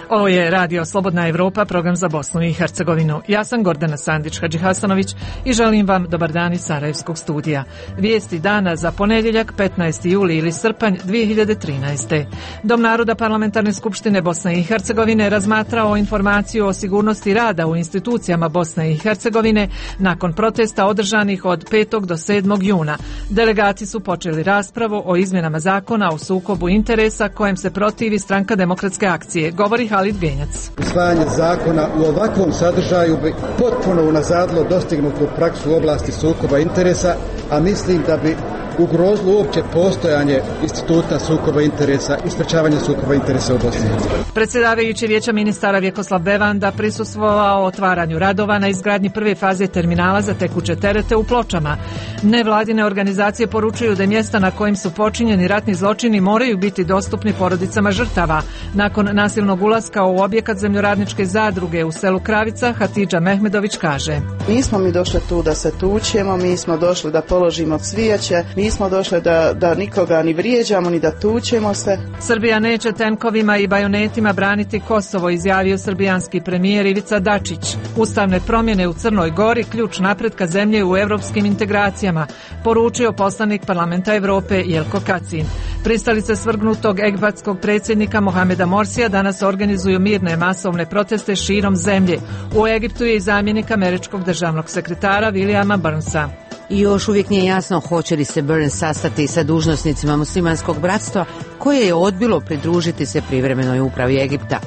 Ovo je Radio Slobodna Evropa, program za Bosnu i Hercegovinu. Ja sam Gordana Sandić-Hadžihasanović i želim vam dobar dan iz Sarajevskog studija. Vijesti dana za ponedjeljak 15. juli ili srpanj 2013. Dom naroda Parlamentarne skupštine Bosne i Hercegovine razmatrao informaciju o sigurnosti rada u institucijama Bosne i Hercegovine nakon protesta održanih od 5. do 7. juna. Delegati su počeli raspravu o izmjenama zakona o sukobu interesa kojem se protivi Stranka demokratske akcije. Govori Halid Genjac. Usvajanje zakona u ovakvom sadržaju bi potpuno unazadilo dostignutu praksu u oblasti sukoba interesa, a mislim da bi ugrozilo uopće postojanje instituta sukoba interesa i sprečavanja sukoba interesa u Bosni. Predsjedavajući Vijeća ministara Vjekoslav Bevanda prisustvovao otvaranju radova na izgradnji prve faze terminala za tekuće terete u Pločama. Nevladine organizacije poručuju da mjesta na kojim su počinjeni ratni zločini moraju biti dostupni porodicama žrtava. Nakon nasilnog ulaska u objekat zemljoradničke zadruge u selu Kravica, Hatidža Mehmedović kaže: Nismo mi došli tu da se tučemo, mi smo došli da položimo cvijeće, nismo došli da nikoga ni vrijeđamo ni da tučemo se. Srbija neće tenkovima i bajonetima braniti Kosovo, izjavio srbijanski premijer Ivica Dačić. Ustavne promjene u Crnoj Gori ključ napretka zemlje u europskim integracijama, poručio poslanik Parlamenta Evrope Jelko Kacin. Pristalice svrgnutog egipatskog predsjednika Mohameda Morsija danas organizuju mirne masovne proteste širom zemlje. U Egiptu je i zamjenik američkog državnog sekretara Williama Burnsa. I još uvijek nije jasno hoće li se Burns sastati sa dužnosnicima muslimanskog bratstva koje je odbilo pridružiti se privremenoj upravi Egipta.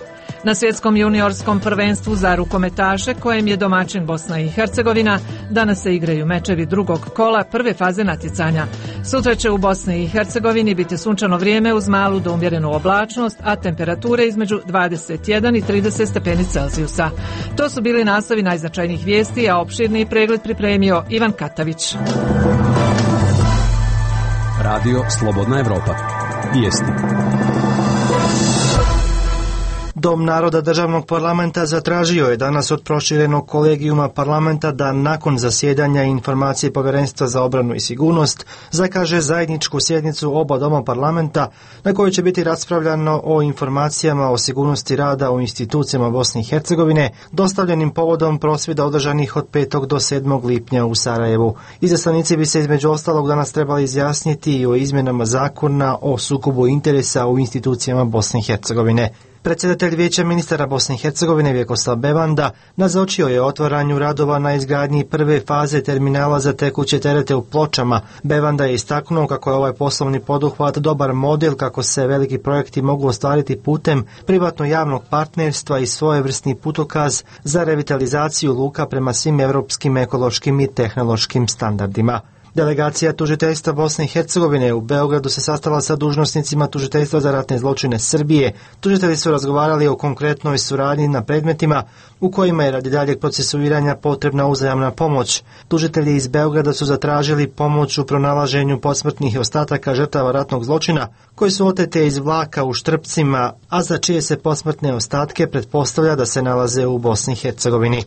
Na svjetskom juniorskom prvenstvu za rukometaše, kojem je domaćin Bosna i Hercegovina, danas se igraju mečevi drugog kola prve faze natjecanja. Sutra će u Bosni i Hercegovini biti sunčano vrijeme uz malu do umjerenu oblačnost, a temperature između 21 i 30 stepeni Celzijusa. To su bili naslovi najznačajnijih vijesti, a opširni pregled pripremio Ivan Katavić. Radio Slobodna Evropa. Vijesti. Dom naroda državnog parlamenta zatražio je danas od proširenog kolegijuma parlamenta da nakon zasjedanja informacije Povjerenstva za obranu i sigurnost zakaže zajedničku sjednicu oba doma parlamenta na kojoj će biti raspravljano o informacijama o sigurnosti rada u institucijama Bosne i Hercegovine dostavljenim povodom prosvjeda održanih od 5. do 7. lipnja u Sarajevu. Izaslanici bi se između ostalog danas trebali izjasniti i o izmjenama zakona o sukobu interesa u institucijama Bosne i Hercegovine. Predsjedatelj Vijeća ministara Bosne i Hercegovine Vjekoslav Bevanda nazočio je otvaranju radova na izgradnji prve faze terminala za tekuće terete u Pločama. Bevanda je istaknuo kako je ovaj poslovni poduhvat dobar model kako se veliki projekti mogu ostvariti putem privatno-javnog partnerstva i svojevrsni putokaz za revitalizaciju luka prema svim europskim ekološkim i tehnološkim standardima. Delegacija tužiteljstva Bosne i Hercegovine u Beogradu se sastala sa dužnosnicima tužiteljstva za ratne zločine Srbije. Tužitelji su razgovarali o konkretnoj suradnji na predmetima u kojima je radi daljeg procesuiranja potrebna uzajamna pomoć. Tužitelji iz Beograda su zatražili pomoć u pronalaženju posmrtnih ostataka žrtava ratnog zločina koji su otete iz vlaka u Štrpcima, a za čije se posmrtne ostatke pretpostavlja da se nalaze u Bosni i Hercegovini.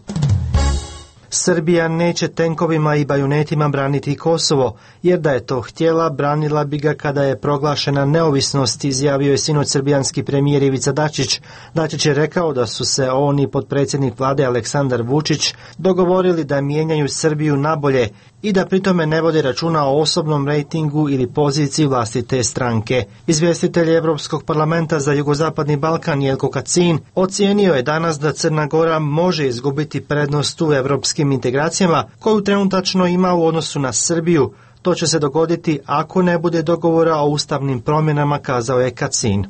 Srbija neće tenkovima i bajonetima braniti Kosovo, jer da je to htjela, branila bi ga kada je proglašena neovisnost, izjavio je sinoć srbijanski premijer Ivica Dačić. Dačić je rekao da su se on i potpredsjednik vlade Aleksandar Vučić dogovorili da mijenjaju Srbiju nabolje i da pritome ne vode računa o osobnom rejtingu ili poziciji vlastite stranke. Izvjestitelj Europskog parlamenta za jugozapadni Balkan Jelko Kacin ocijenio je danas da Crna Gora može izgubiti prednost u europskim integracijama koju trenutačno ima u odnosu na Srbiju. To će se dogoditi ako ne bude dogovora o ustavnim promjenama, kazao je Kacin.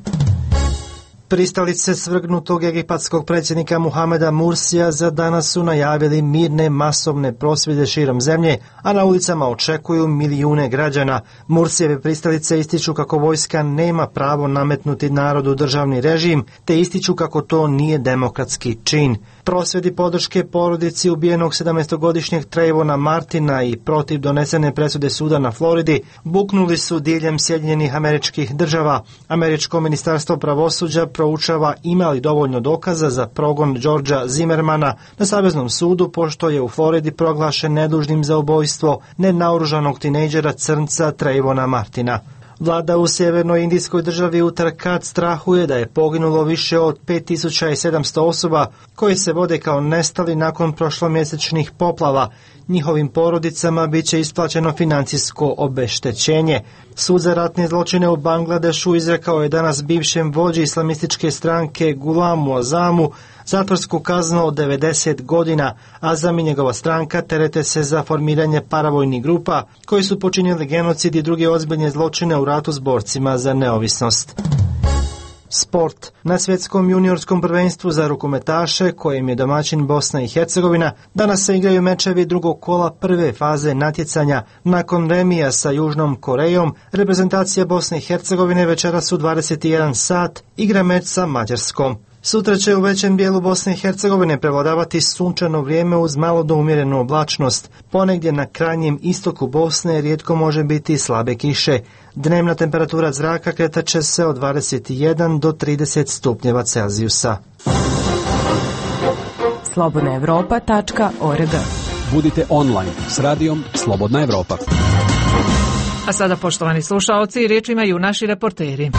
Pristalice svrgnutog egipatskog predsjednika Mohameda Mursija za danas su najavili mirne masovne prosvjede širom zemlje, a na ulicama očekuju milijune građana. Mursijeve pristalice ističu kako vojska nema pravo nametnuti narodu državni režim, te ističu kako to nije demokratski čin. Prosvjedi podrške porodici ubijenog 17-godišnjeg Trayvona Martina i protiv donesene presude suda na Floridi buknuli su diljem Sjedinjenih Američkih Država. Američko ministarstvo pravosuđa proučava ima li dovoljno dokaza za progon Georgea Zimmermana na Saveznom sudu, pošto je u Floridi proglašen nedužnim za ubojstvo nenaoružanog tinejdžera crnca Trayvona Martina. Vlada u sjevernoj indijskoj državi Uttarakhand strahuje da je poginulo više od 5700 osoba koji se vode kao nestali nakon prošlomjesečnih poplava. Njihovim porodicama bit će isplaćeno financijsko obeštećenje. Sud za ratne zločine u Bangladešu izrekao je danas bivšem vođi islamističke stranke Gulamu Azamu zatvorsku kaznu od 90 godina. Azam i njegova stranka terete se za formiranje paravojnih grupa koji su počinili genocid i druge ozbiljne zločine u ratu s borcima za neovisnost. Sport. Na svjetskom juniorskom prvenstvu za rukometaše, kojem je domaćin Bosna i Hercegovina, danas se igraju mečevi drugog kola prve faze natjecanja. Nakon remija sa Južnom Korejom, reprezentacija Bosne i Hercegovine večeras u 21 sat igra meč sa Mađarskom. Sutra će u većem dijelu Bosne i Hercegovine prevladavati sunčano vrijeme uz malo do umjerenu oblačnost. Ponegdje na krajnjem istoku Bosne rijetko može biti slabe kiše. Dnevna temperatura zraka kretat će se od 21 do 30 stupnjeva Celzijusa. slobodnaevropa.org. Budite online s radijom Slobodna Evropa. A sada, poštovani slušaoci, riječ imaju naši reporteri.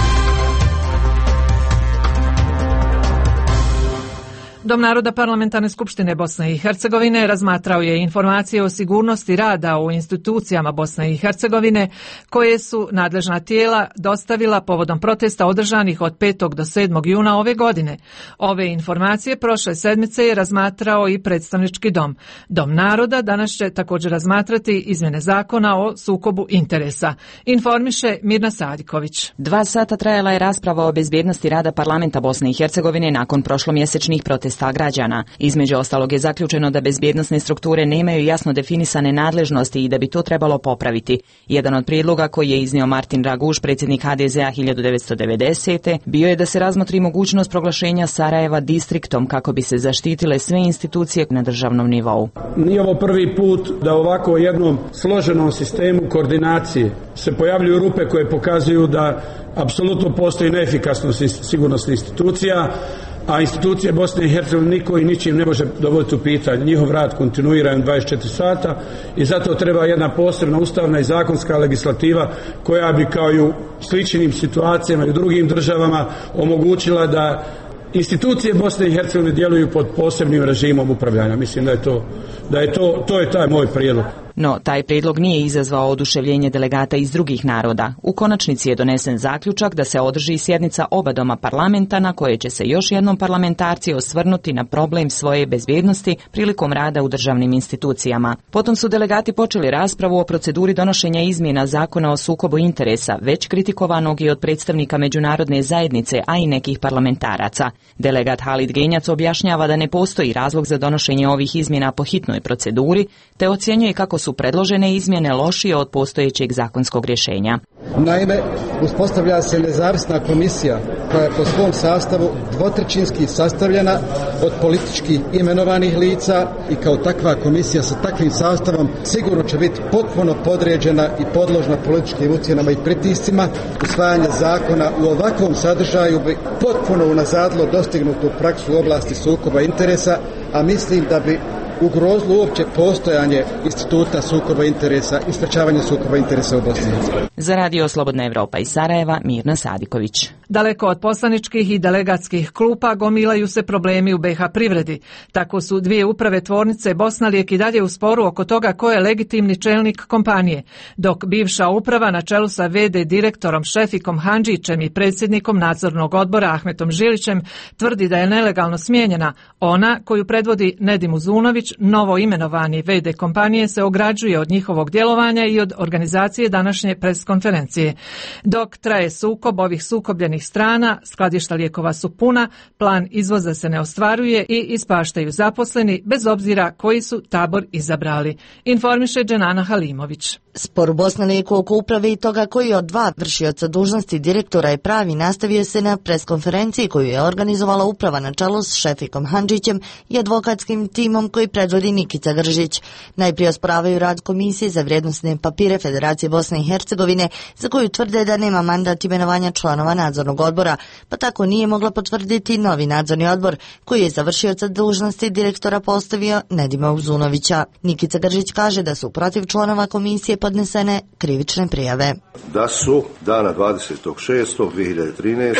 Dom naroda Parlamentarne skupštine Bosne i Hercegovine razmatrao je informacije o sigurnosti rada u institucijama Bosne i Hercegovine koje su nadležna tijela dostavila povodom protesta održanih od 5. do 7. juna ove godine. Ove informacije prošle sedmice je razmatrao i predstavnički dom. Dom naroda danas će također razmatrati izmjene zakona o sukobu interesa. Informiše Mirna Sadiković. 2 sata trajala je rasprava o bezbjednosti rada Parlamenta Bosne i Hercegovine nakon prošlomjesečnih protesta građana. Između ostalog je zaključeno da bezbjednosne strukture nemaju jasno definisane nadležnosti i da bi to trebalo popraviti. Jedan od prijedloga koji je iznio Martin Raguš, predsjednik HDZ-a 1990. bio je da se razmotri mogućnost proglašenja Sarajeva distriktom kako bi se zaštitile sve institucije na državnom nivou. Nije ovo prvi put da ovako jednom složenom sistemu koordinacije se pojavljuju rupe koje pokazuju da apsolutno postoji neefikasnost sigurnosnih institucija, a institucije Bosne i Hercegovine niko i ničim ne može dovoditi u pitanje. Njihov rad kontinuiran 24 sata i zato treba jedna posebna ustavna i zakonska legislativa koja bi kao i u sličnim situacijama i u drugim državama omogućila da institucije Bosne i Hercegovine djeluju pod posebnim režimom upravljanja. Mislim da je to je taj moj prijedlog. No, taj prijedlog nije izazvao oduševljenje delegata iz drugih naroda. U konačnici je donesen zaključak da se održi sjednica oba doma parlamenta na koje će se još jednom parlamentarci osvrnuti na problem svoje bezbjednosti prilikom rada u državnim institucijama. Potom su delegati počeli raspravu o proceduri donošenja izmjena zakona o sukobu interesa, već kritikovanog i od predstavnika međunarodne zajednice, a i nekih parlamentaraca. Delegat Halid Genjac objašnjava da ne postoji razlog za donošenje ovih izmjena po hitnoj proceduri, te ocjenjuje kako su predložene izmjene lošije od postojećeg zakonskog rješenja. Naime, uspostavlja se nezavisna komisija koja je po svom sastavu dvotrećinski sastavljena od politički imenovanih lica i kao takva komisija sa takvim sastavom sigurno će biti potpuno podređena i podložna političkim ucjenama i pritiscima. Usvajanje zakona u ovakvom sadržaju bi potpuno unazadilo dostignutu praksu u oblasti sukoba interesa, a mislim da bi ugrozilo uopće postojanje instituta sukoba interesa i sprečavanje sukoba interesa u Bosni i Hercegovini. Za Radio Slobodna Evropa iz Sarajeva, Mirna Sadiković. Daleko od poslaničkih i delegatskih klupa gomilaju se problemi u BiH privredi. Tako su dvije uprave tvornice Bosnalijek i dalje u sporu oko toga ko je legitimni čelnik kompanije, dok bivša uprava na čelu sa VD direktorom Šefikom Handžićem i predsjednikom nadzornog odbora Ahmetom Žilićem tvrdi da je nelegalno smijenjena. Ona, koju predvodi Nedim Uzunović, novo imenovani VD kompanije, se ograđuje od njihovog djelovanja i od organizacije današnje preskonferencije. Dok traje sukob ovih sukobljenih strana, skladišta lijekova su puna, plan izvoza se ne ostvaruje i ispaštaju zaposleni bez obzira koji su tabor izabrali. Informiše Dženana Halimović. Spor u Bosnalijeku oko uprave i toga koji od 2 vršioca dužnosti direktora je pravi nastavio se na preskonferenciji koju je organizovala uprava na čelu s Šefikom Handžićem i advokatskim timom koji predvodi Nikica Gržić. Najprije osporavaju rad Komisije za vrijednosne papire Federacije Bosne i Hercegovine, za koju tvrde da nema mandat imenovanja članova nadzornog nadzornog odbora, pa tako nije mogla potvrditi novi nadzorni odbor koji je za vršioca dužnosti direktora postavio Nedima Uzunovića. Nikica Gržić kaže da su protiv članova komisije podnesene krivične prijave. Da su dana 20.6.2013.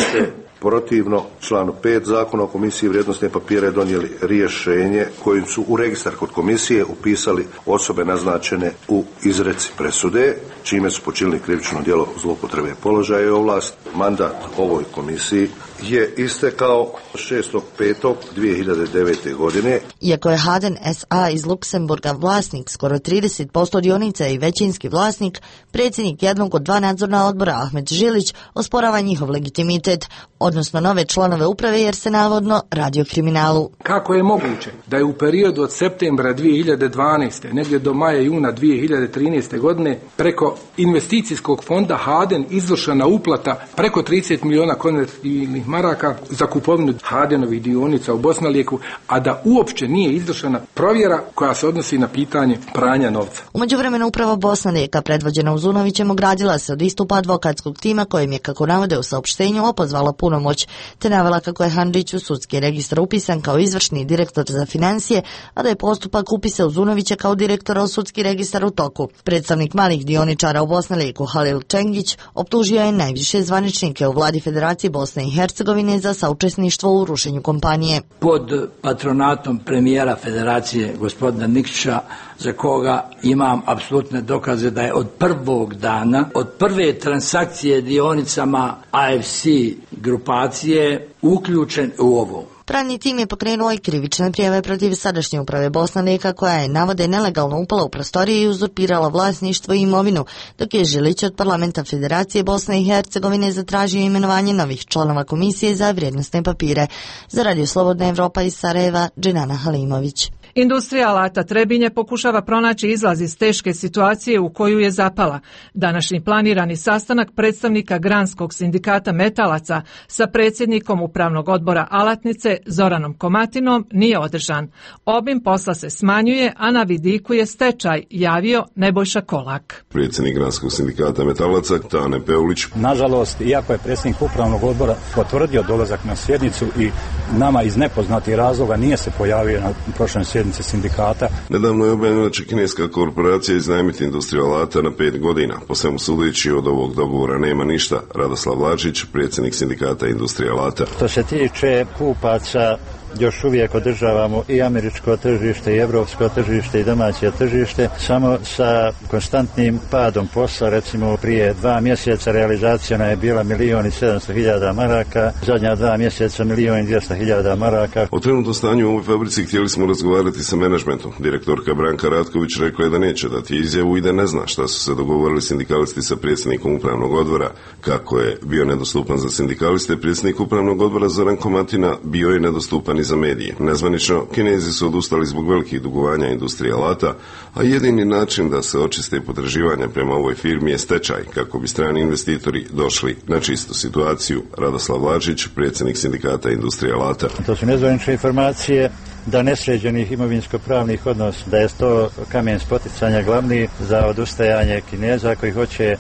protivno članu 5 Zakona o komisiji vrijednosne papire donijeli rješenje kojim su u registar kod komisije upisali osobe naznačene u izreci presude, čime su počinili krivično djelo zloupotrebe položaja i ovlast. Mandat ovoj komisiji je istekao 6.5.2009. godine. Iako je Haden SA iz Luksemburga vlasnik skoro 30% dionica i većinski vlasnik, predsjednik jednog od dva nadzorna odbora Ahmed Žilić osporava njihov legitimitet, odnosno nove članove uprave jer se navodno radi o kriminalu. Kako je moguće da je u periodu od septembra 2012. negdje do maja juna 2013. godine preko investicijskog fonda Haden izvršena uplata preko 30 miliona konvertibilnih maraka za kupovinu Hadenovih dionica u Bosnalijeku, a da uopće nije izvršena provjera koja se odnosi na pitanje pranja novca. U međuvremenu uprava Bosnalijeka predvođena Uzunovićem ogradila se od istupa advokatskog tima kojim je, kako navode u saopštenju, opozvala punomoć, te navela kako je Handžić u sudski registar upisan kao izvršni direktor za financije, a da je postupak upisa Uzunovića kao direktora u sudski registar u toku. Predstavnik malih dioničara u Bosnalijeku Halil Čengić optužio je najviše zvaničnike u vladi Federacije Bosne i Hercegovine za saučesništvo u rušenju kompanije. Pod patronatom premijera Federacije gospodina Nikšića, za koga imam apsolutne dokaze da je od prvog dana, od prve transakcije dionicama AFC grupacije uključen u ovo. Pravni tim je pokrenuo i krivične prijave protiv sadašnje uprave Bosnaleka koja je, navode, nelegalno upala u prostorije i uzurpirala vlasništvo i imovinu, dok je Žilić od parlamenta Federacije Bosne i Hercegovine zatražio imenovanje novih članova komisije za vrijednosne papire. Za Radio Slobodna Evropa iz Sarajeva, Dženana Halimović. Industrija alata Trebinje pokušava pronaći izlaz iz teške situacije u koju je zapala. Današnji planirani sastanak predstavnika Granskog sindikata metalaca sa predsjednikom upravnog odbora Alatnice Zoranom Komatinom nije održan. Obim posla se smanjuje, a na vidiku je stečaj, javio Nebojša Kolak. Predsjednik Granskog sindikata metalaca Tane Peulić. Nažalost, iako je predsjednik upravnog odbora potvrdio dolazak na sjednicu i nama iz nepoznatih razloga nije se pojavio na prošloj sjednici sindikata. Nedavno je objavljeno da će kineska korporacija iznajmiti industriju alata na 5 godina. Po svemu sudeći od ovog dogovora nema ništa. Radoslav Vlačić, predsjednik sindikata industrije alata. Što se tiče kupaca, još uvijek održavamo i američko tržište i evropsko tržište i domaće tržište, samo sa konstantnim padom posla. Recimo prije 2 mjeseca realizacija je bila 1.700.000 maraka, zadnja 2 mjeseca 1.200.000 maraka. O trenutnom stanju u ovoj fabrici htjeli smo razgovarati sa menadžmentom. Direktorka Branka Ratković rekla je da neće dati izjavu i da ne zna šta su se dogovorili sindikalisti sa predsjednikom upravnog odbora. Kako je bio nedostupan za sindikaliste, predsjednik upravnog odbora Zoran Komatina bio je nedostupan i za medije. Nezvanično, Kinezi su odustali zbog velikih dugovanja industrije alata, a jedini način da se očiste potraživanja prema ovoj firmi je stečaj, kako bi strani investitori došli na čistu situaciju. Radoslav Vlačić, predsjednik sindikata industrije alata. To su nezvanične informacije da nesređenih imovinsko-pravnih odnosa, da je to kamen spoticanja glavni za odustajanje Kineza koji hoće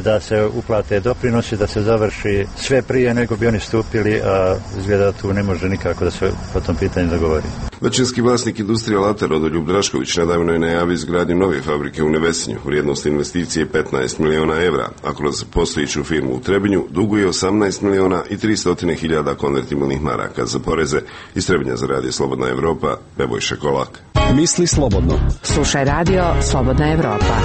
da se uplate doprinosi, da se završi sve prije nego bi oni stupili, a izgleda tu ne može nikako da se po tom pitanju dogovori. Većinski vlasnik industrije alata Rodoljub Drašković nedavno je najavio izgradnju nove fabrike u Nevesinju. Vrijednost investicije je 15 miliona evra, a kroz postojeću firmu u Trebinju duguje 18 miliona i 300.000 konvertibilnih maraka za poreze. Iz Trebinja za Radio Slobodna Evropa, Nebojša Kolak. Misli slobodno. Slušaj Radio Slobodna Evropa.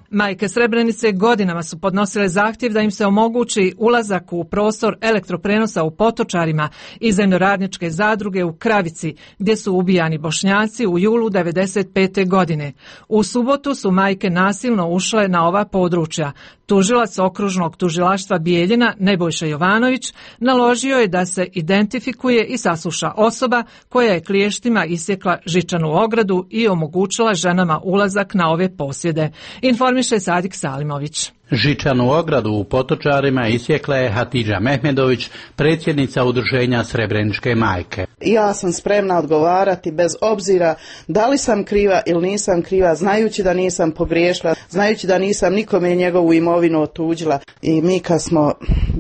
Majke Srebrenice godinama su podnosile zahtjev da im se omogući ulazak u prostor elektroprenosa u Potočarima i zemljoradničke zadruge u Kravici, gdje su ubijani Bošnjaci u julu 1995. godine. U subotu su majke nasilno ušle na ova područja. Tužilac okružnog tužilaštva Bijeljina Nebojša Jovanović naložio je da se identifikuje i sasluša osoba koja je kliještima isjekla žičanu ogradu i omogućila ženama ulazak na ove posjede. Informiše Sadik Salimović. Žičanu ogradu u Potočarima isjekla je Hatidža Mehmedović, predsjednica udruženja Srebreničke majke. Ja sam spremna odgovarati bez obzira da li sam kriva ili nisam kriva, znajući da nisam pogriješila, znajući da nisam nikome njegovu imovinu otuđila. I mi kad smo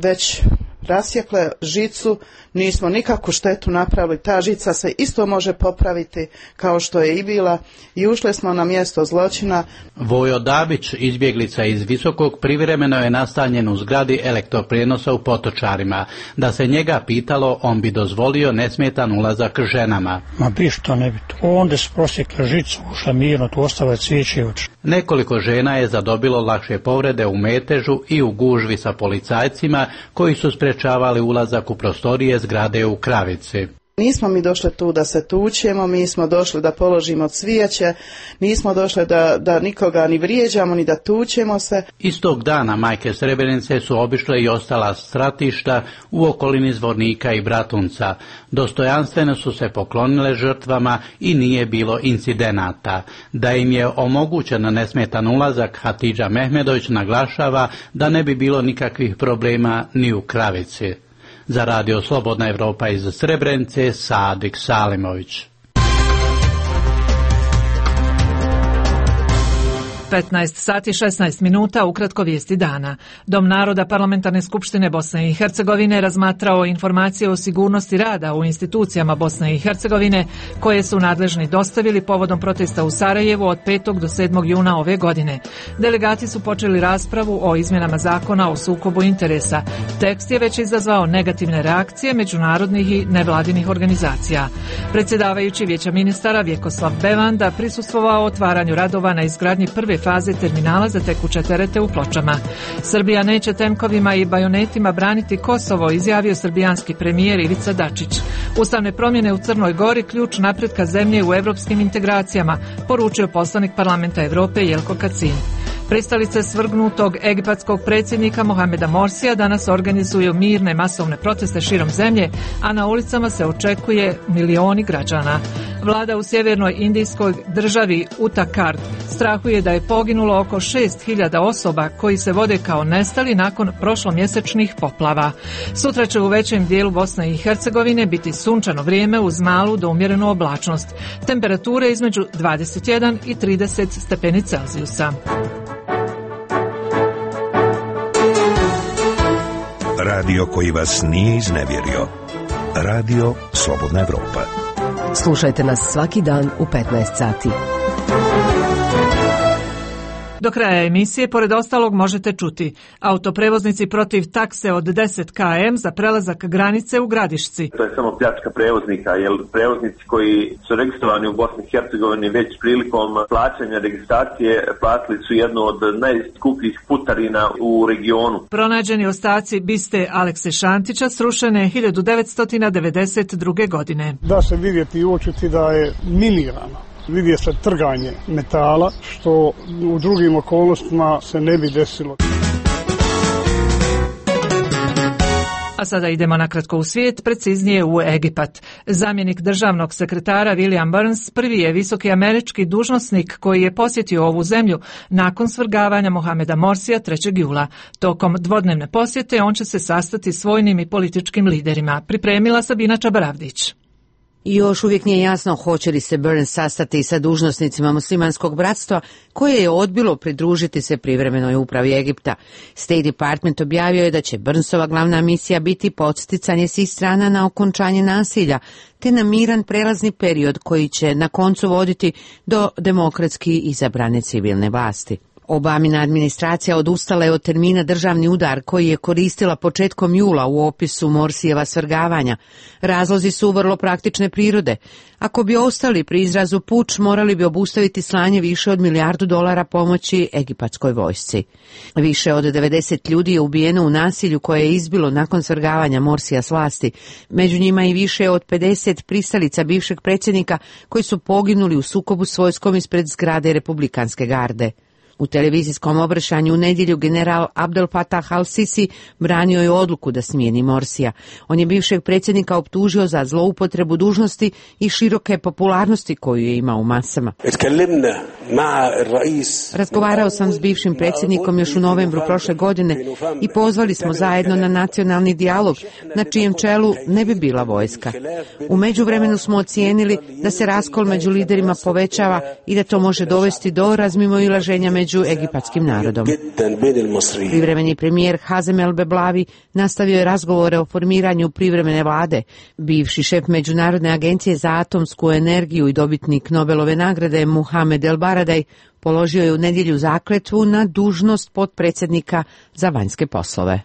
već rasjekle žicu, nismo nikakvu štetu napravili, ta žica se isto može popraviti kao što je i bila i ušli smo na mjesto zločina. Vojo Dabić, izbjeglica iz Visokog, privremeno je nastanjen u zgradi elektroprijenosa u Potočarima. Da se njega pitalo, on bi dozvolio nesmetan ulazak ženama. Ma bi što ne bi to. Onda se prosjekla žicu, ušla mirno, tu ostale cvijeće oči. Nekoliko žena je zadobilo lakše povrede u metežu i u gužvi sa policajcima koji su sprečavali ulazak u prostorije zgrade u Kravici. Nismo mi došli tu da se tučemo, mi smo došli da položimo cvijeće, nismo došli da nikoga ni vrijeđamo, ni da tučemo se. Istog dana majke Srebrenice su obišle i ostala stratišta u okolini Zvornika i Bratunca. Dostojanstveno su se poklonile žrtvama i nije bilo incidenata. Da im je omogućen nesmetan ulazak, Hatidža Mehmedović naglašava da ne bi bilo nikakvih problema ni u Kravici. Za radio Slobodna Evropa iz Srebrenice, Sadik Salimović. 15 sati 16 minuta, ukratko vijesti dana. Dom naroda Parlamentarne skupštine Bosne i Hercegovine razmatrao informacije o sigurnosti rada u institucijama Bosne i Hercegovine koje su nadležni dostavili povodom protesta u Sarajevu od 5. do 7. juna ove godine. Delegati su počeli raspravu o izmjenama zakona o sukobu interesa. Tekst je već izazvao negativne reakcije međunarodnih i nevladinih organizacija. Predsjedavajući Vijeća ministara Vjekoslav Bevanda prisustvovao otvaranju radova na izgradnji prve faze terminala za tekuće terete u Pločama. Srbija neće tenkovima i bajonetima braniti Kosovo, izjavio srbijanski premijer Ivica Dačić. Ustavne promjene u Crnoj Gori ključ napretka zemlje u evropskim integracijama, poručio poslanik Parlamenta Evrope Jelko Kacin. Pristalice svrgnutog egipatskog predsjednika Mohameda Morsija danas organizuju mirne masovne proteste širom zemlje, a na ulicama se očekuje milioni građana. Vlada u sjevernoj indijskoj državi Uttarakhand strahuje da je poginulo oko 6.000 osoba koji se vode kao nestali nakon prošlomjesečnih poplava. Sutra će u većem dijelu Bosne i Hercegovine biti sunčano vrijeme uz malu do umjerenu oblačnost. Temperature između 21 i 30 stepeni Celzijusa. Radio koji vas nije iznevjerio. Radio Slobodna Evropa. Slušajte nas svaki dan u 15 sati. Do kraja emisije, pored ostalog, možete čuti: autoprevoznici protiv takse od 10 km za prelazak granice u Gradišci. To je samo pljačka prevoznika, jer prevoznici koji su registrovani u Bosni i Hercegovini već prilikom plaćanja registracije platili su jednu od najskupljih putarina u regionu. Pronađeni ostaci biste Alekse Šantića srušene 1992. godine. Da se vidjeti i uočiti da je minirano. Vidje se trganje metala, što u drugim okolnostima se ne bi desilo. A sada idemo nakratko u svijet, preciznije u Egipat. Zamjenik državnog sekretara William Burns prvi je visoki američki dužnosnik koji je posjetio ovu zemlju nakon svrgavanja Mohameda Morsija 3. jula. Tokom dvodnevne posjete on će se sastati s vojnim i političkim liderima. Pripremila Sabina Čabaravdić. I još uvijek nije jasno hoće li se Burns sastati sa dužnosnicima muslimanskog bratstva koje je odbilo pridružiti se privremenoj upravi Egipta. State Department objavio je da će Burnsova glavna misija biti podsticanje svih strana na okončanje nasilja, te na miran prelazni period koji će na koncu voditi do demokratski izabrane civilne vlasti. Obamina administracija odustala je od termina državni udar koji je koristila početkom jula u opisu Morsijeva svrgavanja. Razlozi su vrlo praktične prirode. Ako bi ostali pri izrazu puč, morali bi obustaviti slanje više od $1 milijardu pomoći egipatskoj vojsci. Više od 90 ljudi je ubijeno u nasilju koje je izbilo nakon svrgavanja Morsija s vlasti. Među njima i više od 50 pristalica bivšeg predsjednika koji su poginuli u sukobu s vojskom ispred zgrade Republikanske garde. U televizijskom obraćanju u nedjelju general Abdel Fattah al-Sisi branio je odluku da smijeni Morsija. On je bivšeg predsjednika optužio za zloupotrebu dužnosti i široke popularnosti koju je imao u masama. Razgovarao sam s bivšim predsjednikom još u novembru prošle godine i pozvali smo zajedno na nacionalni dijalog na čijem čelu ne bi bila vojska. U međuvremenu smo ocijenili da se raskol među liderima povećava i da to može dovesti do razmimoilaženja među egipatskim narodom. Privremeni premijer Hazem El Beblavi nastavio je razgovore o formiranju privremene vlade. Bivši šef Međunarodne agencije za atomsku energiju i dobitnik Nobelove nagrade Muhamed El Baradaj položio je u nedjelju zakletvu na dužnost potpredsjednika za vanjske poslove.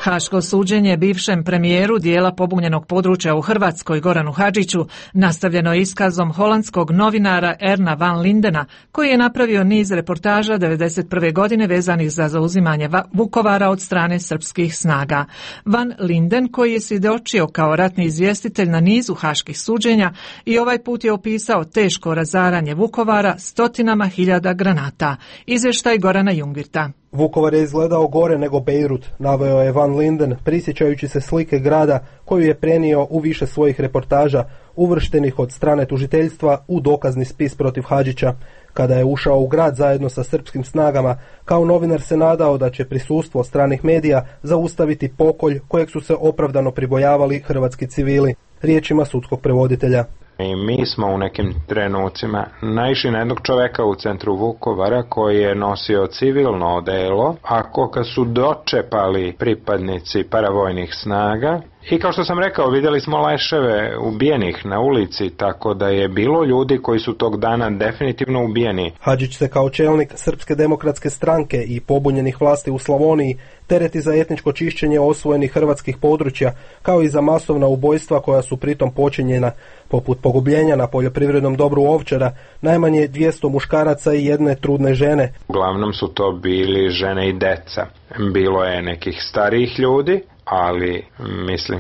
Haško suđenje bivšem premijeru dijela pobunjenog područja u Hrvatskoj Goranu Hadžiću nastavljeno je iskazom holandskog novinara Erna van Lindena, koji je napravio niz reportaža 1991. godine vezanih za zauzimanje Vukovara od strane srpskih snaga. Van Linden, koji je svjedočio kao ratni izvjestitelj na nizu haških suđenja, i ovaj put je opisao teško razaranje Vukovara stotinama hiljada granata. Izvještaj Gorana Jungvirta. Vukovar je izgledao gore nego Bejrut, naveo je Van Linden, prisjećajući se slike grada koju je prenio u više svojih reportaža, uvrštenih od strane tužiteljstva u dokazni spis protiv Hadžića. Kada je ušao u grad zajedno sa srpskim snagama, kao novinar se nadao da će prisustvo stranih medija zaustaviti pokolj kojeg su se opravdano pribojavali hrvatski civili. Riječima sudskog prevoditelja. I mi smo u nekim trenucima naišli na jednog čoveka u centru Vukovara koji je nosio civilno odelo, a koga su dočepali pripadnici paravojnih snaga. I kao što sam rekao, vidjeli smo leševe ubijenih na ulici, tako da je bilo ljudi koji su tog dana definitivno ubijeni. Hadžić se kao čelnik Srpske demokratske stranke i pobunjenih vlasti u Slavoniji tereti za etničko čišćenje osvojenih hrvatskih područja, kao i za masovna ubojstva koja su pritom počinjena, poput pogubljenja na poljoprivrednom dobru Ovčara, najmanje 200 muškaraca i jedne trudne žene. Uglavnom su to bili žene i deca. Bilo je nekih starijih ljudi, ali mislim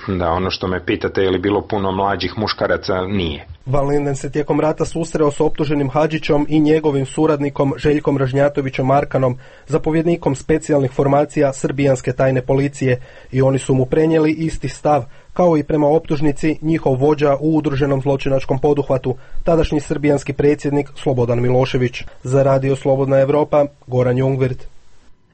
da ono što me pitate je li bilo puno mlađih muškaraca, nije. Van Linden se tijekom rata susreo s optuženim Hadžićom i njegovim suradnikom Željkom Ražnjatovićem Arkanom, zapovjednikom specijalnih formacija srbijanske tajne policije, i oni su mu prenijeli isti stav, kao i prema optužnici njihov vođa u udruženom zločinačkom poduhvatu, tadašnji srbijanski predsjednik Slobodan Milošević. Za Radio Slobodna Evropa, Goran Jungvirt.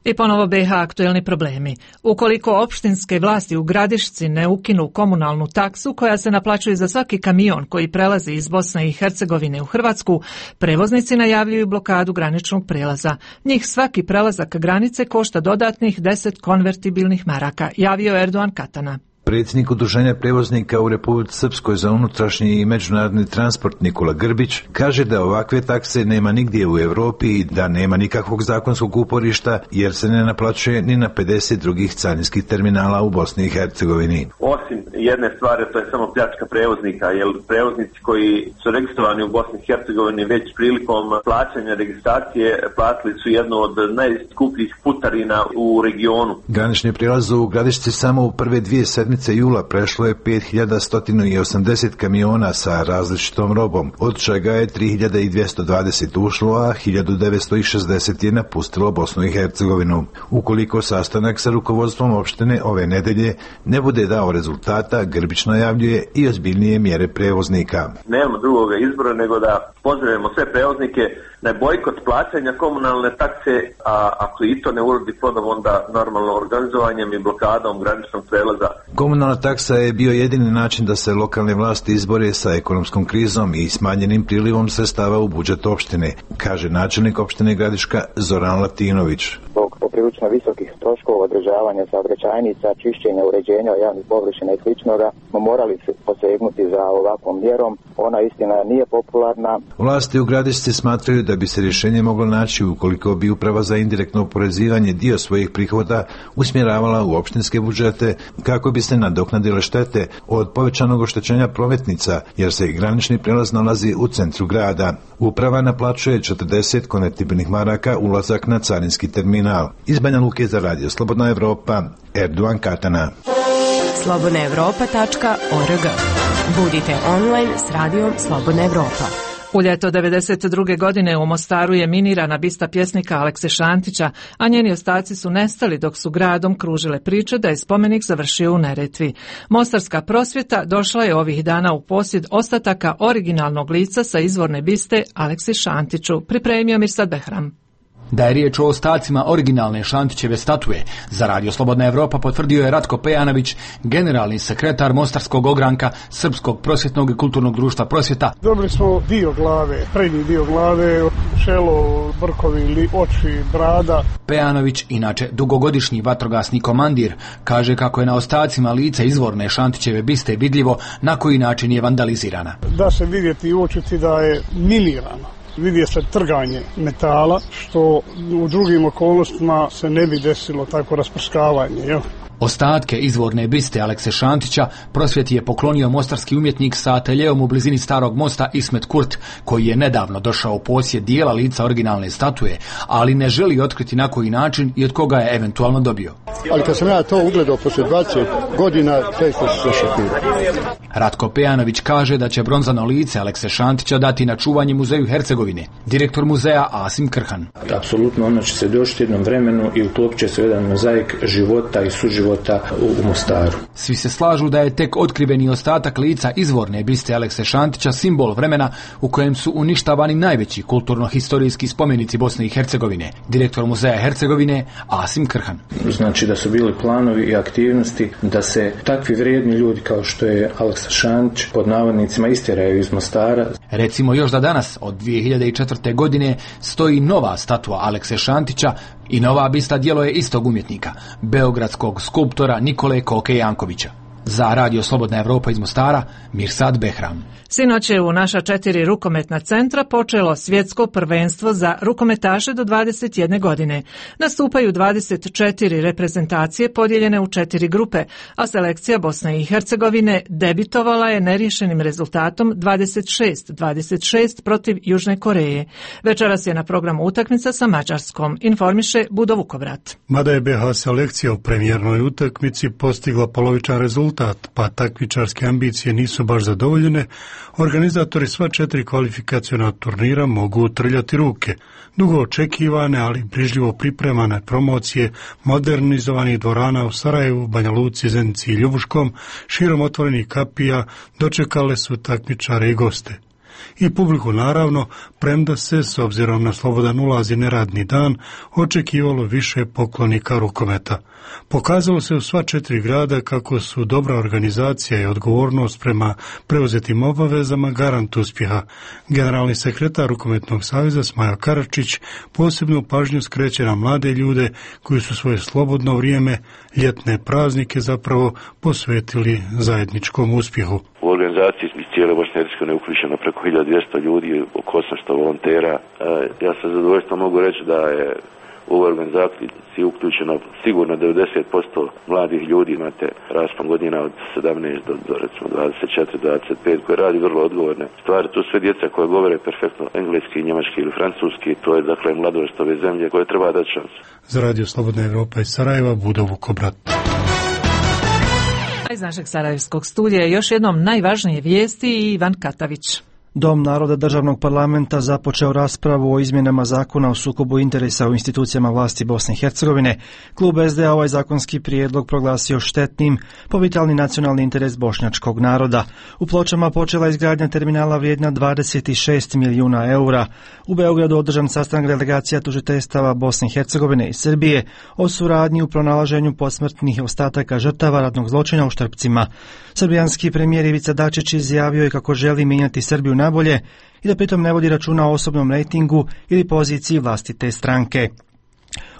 I ponovo BiH aktuelni problemi. Ukoliko opštinske vlasti u Gradišci ne ukinu komunalnu taksu koja se naplaćuje za svaki kamion koji prelazi iz Bosne i Hercegovine u Hrvatsku, prevoznici najavljuju blokadu graničnog prelaza. Njih svaki prelazak granice košta dodatnih 10 konvertibilnih maraka, javio Erdogan Katana. Predsjednik udruženja prevoznika u Republici Srpskoj za unutrašnji i međunarodni transport Nikola Grbić kaže da ovakve takse nema nigdje u Europi i da nema nikakvog zakonskog uporišta jer se ne naplaćuje ni na 50 drugih carinskih terminala u Bosni i Hercegovini. Osim jedne stvari, to je samo pljačka prevoznika, jer prevoznici koji su registrovani u Bosni i Hercegovini već prilikom plaćanja registracije platili su jednu od najskupljih putarina u regionu. Granični prijelaz u Gradišci samo u prve 2 sedmice jula prešlo je 5180 kamiona sa različitom robom, od čega je 3220 ušlo, a 1960 je napustilo Bosnu i Hercegovinu. Ukoliko sastanak sa rukovodstvom opštine ove nedelje ne bude dao rezultata, Grbić najavljuje i ozbiljnije mjere prevoznika. Nemamo drugoga izbora nego da pozdravimo sve prevoznike na bojkot plaćanja komunalne takse, a ako i to ne urodi plodom, onda normalno organizovanjem i blokadom graničnog prelaza. Komunalna taksa je bio jedini način da se lokalne vlasti izbore sa ekonomskom krizom i smanjenim prilivom sredstava u budžet opštine, kaže načelnik opštine Gradiška Zoran Latinović. Zbog poprilično visokih troškova održavanja saobraćajnica, čišćenja, uređenja javnih površina i sličnoga smo morali posegnuti za ovakvom mjerom. Ona istina nije popularna. Vlasti u Gradišci smatraju da bi se rješenje moglo naći ukoliko bi uprava za indirektno oporezivanje dio svojih prihoda usmjeravala u opštinske budžete kako bi se nadoknadile štete od povećanog oštećenja prometnica, jer se granični prijelaz nalazi u centru grada. Uprava naplaćuje 40 konvertibilnih maraka ulazak na carinski terminal. Iz Banja Luke za Radio Slobodna Evropa, Erdogan Katana. slobodnaevropa.org. Budite online s Radijom Slobodna Evropa. U ljeto 1992. godine u Mostaru je minirana bista pjesnika Alekse Šantića, a njeni ostaci su nestali dok su gradom kružile priče da je spomenik završio u Neretvi. Mostarska prosvjeta došla je ovih dana u posjed ostataka originalnog lica sa izvorne biste Aleksi Šantiću, pripremio Mirsad Behram. Da je riječ o ostacima originalne Šantićeve statue, za Radio Slobodna Evropa potvrdio je Ratko Pejanović, generalni sekretar Mostarskog ogranka Srpskog prosvjetnog i kulturnog društva Prosvjeta. Dobili smo dio glave, prednji dio glave, čelo, brkovi, oči, brada. Pejanović, inače dugogodišnji vatrogasni komandir, kaže kako je na ostacima lica izvorne Šantićeve biste vidljivo na koji način je vandalizirana. Da se vidjeti i uočiti da je minirano. Vidje se trganje metala, što u drugim okolnostima se ne bi desilo tako rasprskavanje. Jel? Ostatke izvorne biste Alekse Šantića Prosvjeti je poklonio mostarski umjetnik sa ateljeom u blizini Starog mosta Ismet Kurt, koji je nedavno došao u posjed dijela lica originalne statue, ali ne želi otkriti na koji način i od koga je eventualno dobio. Ali kad sam ja to ugledao poslije 20 godina, često se šokirao. Ratko Pejanović kaže da će bronzano lice Alekse Šantića dati na čuvanje muzeju Hercegovine. Direktor muzeja Asim Krhan. Apsolutno ono će se doći jednom vremenu i utopit će se jedan mozaik života i suživota u Mostaru. Svi se slažu da je tek otkriveni ostatak lica izvorne biste Alekse Šantića simbol vremena u kojem su uništavani najveći kulturno-historijski spomenici Bosne i Hercegovine. Direktor muzeja Hercegovine Asim Krhan. Znači da su bili planovi i aktivnosti da se takvi vrijedni ljudi kao što je Aleksa Šantić pod navodnicima istjeraju iz Mostara. Recimo još da danas od 2004. godine stoji nova statua Alekse Šantića i nova bista djelo je istog umjetnika, beogradskog skulptora Nikole Koke Jankovića. Za Radio Slobodna Evropa iz Mostara, Mirsad Behram. Sinoć je u naša 4 rukometna centra počelo svjetsko prvenstvo za rukometaše do 21 godine. Nastupaju 24 reprezentacije podijeljene u 4 grupe, a selekcija Bosne i Hercegovine debitovala je neriješenim rezultatom 26-26 protiv Južne Koreje. Večeras je na programu utakmica sa Mađarskom, informiše Budo Vukovrat. Mada je BH selekcija u premijernoj utakmici postigla polovičan rezultat, pa takmičarske ambicije nisu baš zadovoljene, organizatori sva 4 kvalifikaciona turnira mogu trljati ruke. Dugo očekivane, ali brižljivo pripremane promocije modernizovanih dvorana u Sarajevu, Banja Luci, Zenici i Ljubuškom, širom otvorenih kapija, dočekale su takmičare i goste. I publiku naravno, premda se, s obzirom na slobodan ulaz i neradni dan, očekivalo više poklonika rukometa. Pokazalo se u sva 4 grada kako su dobra organizacija i odgovornost prema preuzetim obavezama garant uspjeha. Generalni sekretar Rukometnog saveza Smajo Karačić posebnu pažnju skreće na mlade ljude koji su svoje slobodno vrijeme, ljetne praznike zapravo posvetili zajedničkom uspjehu. U organizaciji iz cijele Bosne i Hercegovine uključeno preko 1200 ljudi, oko 800 volontera. Ja sa zadovoljstvom mogu reći da je u ovoj organizaciji uključeno sigurno 90% mladih ljudi, imate raspon godina od 17 do recimo 24-25 koji radi vrlo odgovorne stvari. Tu sve djeca koje govore perfektno engleski, njemački ili francuski, to je dakle mladost ove zemlje koje treba dati šansu. Za Radio Slobodna Evropa iz Sarajeva, Budo Vukobrat. Iz našeg sarajevskog studija je još jednom najvažnije vijesti i Ivan Katavić. Dom naroda državnog parlamenta započeo raspravu o izmjenama zakona o sukobu interesa u institucijama vlasti Bosne i Hercegovine. Klub SDA ovaj zakonski prijedlog proglasio štetnim po vitalni nacionalni interes bošnjačkog naroda. U Pločama počela izgradnja terminala vrijedna 26 milijuna eura. U Beogradu održan sastanak delegacija tužiteljstava Bosne i Hercegovine i Srbije o suradnji u pronalaženju posmrtnih ostataka žrtava ratnog zločina u Štrpcima. Srbijanski premijer Ivica Dačić izjavio je kako želi mijenjati Srbiju nabolje i da pritom ne vodi računa o osobnom rejtingu ili poziciji vlastite stranke.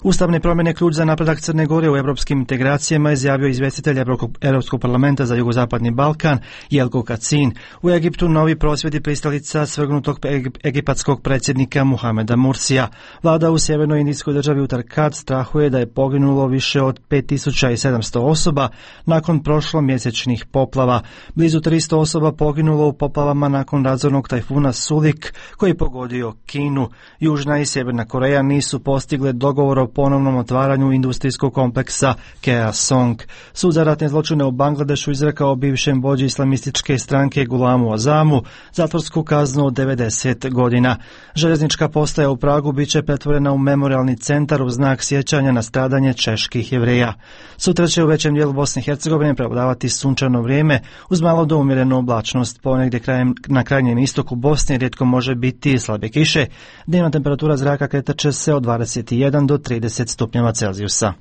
Ustavne promjene ključ za napredak Crne Gore u europskim integracijama, izjavio izvjestitelj Europskog parlamenta za jugozapadni Balkan Jelko Kacin. U Egiptu novi prosvjedi pristalica svrgnutog egipatskog predsjednika Muhameda Mursija. Vlada u sjevernoj indijskoj državi Uttarkhand strahuje da je poginulo više od 5700 osoba nakon prošlomjesečnih poplava. Blizu 300 osoba poginulo u poplavama nakon razornog tajfuna Sulik koji je pogodio Kinu. Južna i Sjeverna Koreja nisu postigle dogovor dogovor o ponovnom otvaranju industrijskog kompleksa Kea Song. Sud za ratne zločine u Bangladešu izrekao bivšem vođi islamističke stranke Gulamu Azamu zatvorsku kaznu od 90 godina. Željeznička postaja u Pragu biće pretvorena u memorijalni centar u znak sjećanja na stradanje čeških Jevreja. Sutra će u većem dijelu Bosne i Hercegovine prevladavati sunčano vrijeme uz malo do umjerenu oblačnost. Ponegdje na krajnjem istoku Bosne rijetko može biti slabe kiše. Dnevna temperatura zraka kretat će se od 21 do 30 stupnjeva Celzijusa.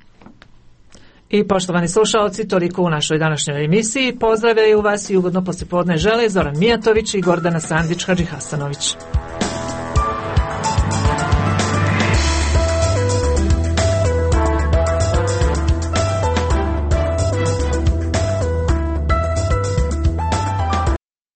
I poštovani slušalci, toliko u našoj današnjoj emisiji. Pozdravljaju vas i ugodno poslijepodne žele Zoran Mijatović i Gordana Sandić Hadžihasanović.